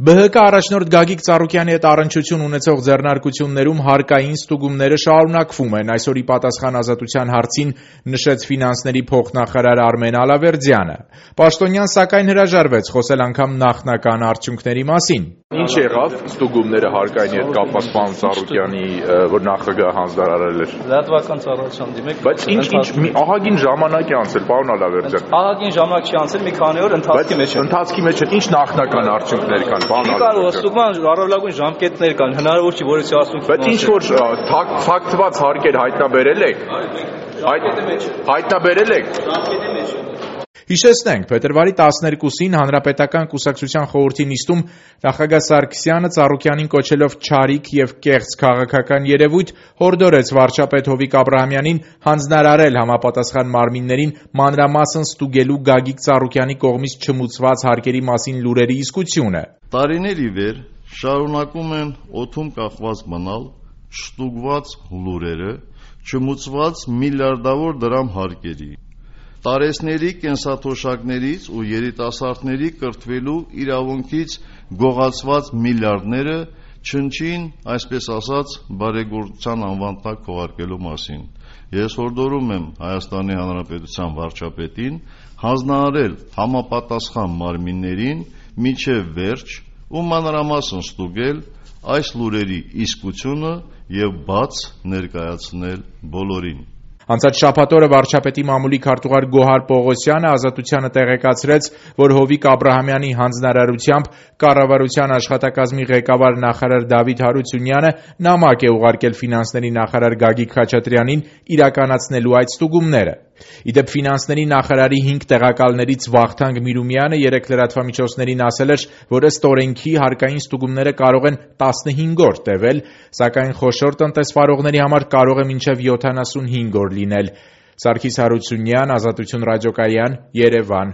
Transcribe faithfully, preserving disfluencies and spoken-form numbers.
Բը հը կը առաջնորդ Գագիկ Ծառուկյանի հետ առնչություն ունեցող ձեռնարկություններում հարկային ստուգումները շարունակվում են, այսօր ի պատասխան Ազատության հարցին նշեց ֆինանսների փոխնախարար Արմեն Ալավերդյանը: Պաշտոնյան սակայն հրաժարվեց խոսել անգամ նախնական արդյունքների մասին: Ինչ եղավ ստուգումները հարկայինի հետ կապված պարոն Ծառուկյանի, որ նախագահը հանձնարարել էր: Լրատվական ծառայության դիմեք: Բայց ինչ ինչ ահագին ժամանակ է անցել, պարոն Ալավերդյան: Ահագին ժամանակ չի անցել, մի քանի օր ընթացքի մեջ է: Ընթացքի մեջ է, ինչ նախնական արդյունքներ կան, պարոն Ալավերդյան: Ստուգման առավելագույն ժամկետներ կան, հնարավոր չի որևէ արդյունք: Բայց ինչ որ թաքցված հարկեր հայտնաբերել եք: Հայտնաբերել եք: Հիշեցնենք, փետրվարի տասներկուսին Հանրապետական կուսակցության խորհրդի նիստում նախագահ Սարգսյանը Ծառուկյանին կոչելով չարիք եւ կեղծ քաղաքական երևույթ, հորդորեց վարչապետ Հովիկ Աբրահամյանին հանձնարարել համապատասխան մարմիններին մանրամասն ստուգելու Գագիկ Ծառուկյանի կողմից չմուծված հարկերի մասին լուրերի իսկությունը: Տարիներ ի վեր շարունակում են օդում կախված մնալ չստուգված լուրերը չմուծված միլիարդավոր դրամ հարկերի, տարեցների կենսաթոշակներից ու երիտասարդների կրթվելու իրավունքից գողացված միլիարդները չնչին, այսպես ասած, բարեգործության անվան տակ քողարկելու մասին: Ես հորդորում եմ Հայաստանի Հանրապետության վարչապետին հանձնարարել համապատասխան մարմիններին մինչև վերջ ու մանրամասն ստուգել այս լուրերի իսկությունը եւ բաց ներկայացնել բոլորին: Անցած շաբաթ օրը վարչապետի մամուլի քարտուղար Գոհար Պողոսյանը Ազատությանը տեղեկացրեց, որ Հովիկ Աբրահամյանի հանձնարարությամբ կառավարության աշխատակազմի ղեկավար նախարար Դավիթ Հարությունյանը նամակ է ուղարկել ֆինանսների նախարար Գագիկ Խաչատրյանին իրականացնելու այդ ստուգումները: Ի դեպ, ֆինանսների նախարարի հինգ տեղակալներից Վախթանգ Միրումյանը երեկ լրատվամիջոցներին ասել էր, որ ըստ օրենքի հարկային ստուգումները կարող են տասնհինգ օր տևել, սակայն խոշոր տնտեսվարողների համար կարող է մինչև յոթանասունհինգ օր լինել: Սարգիս Հարությունյան, Ազատություն ռադիոկայան, Երևան: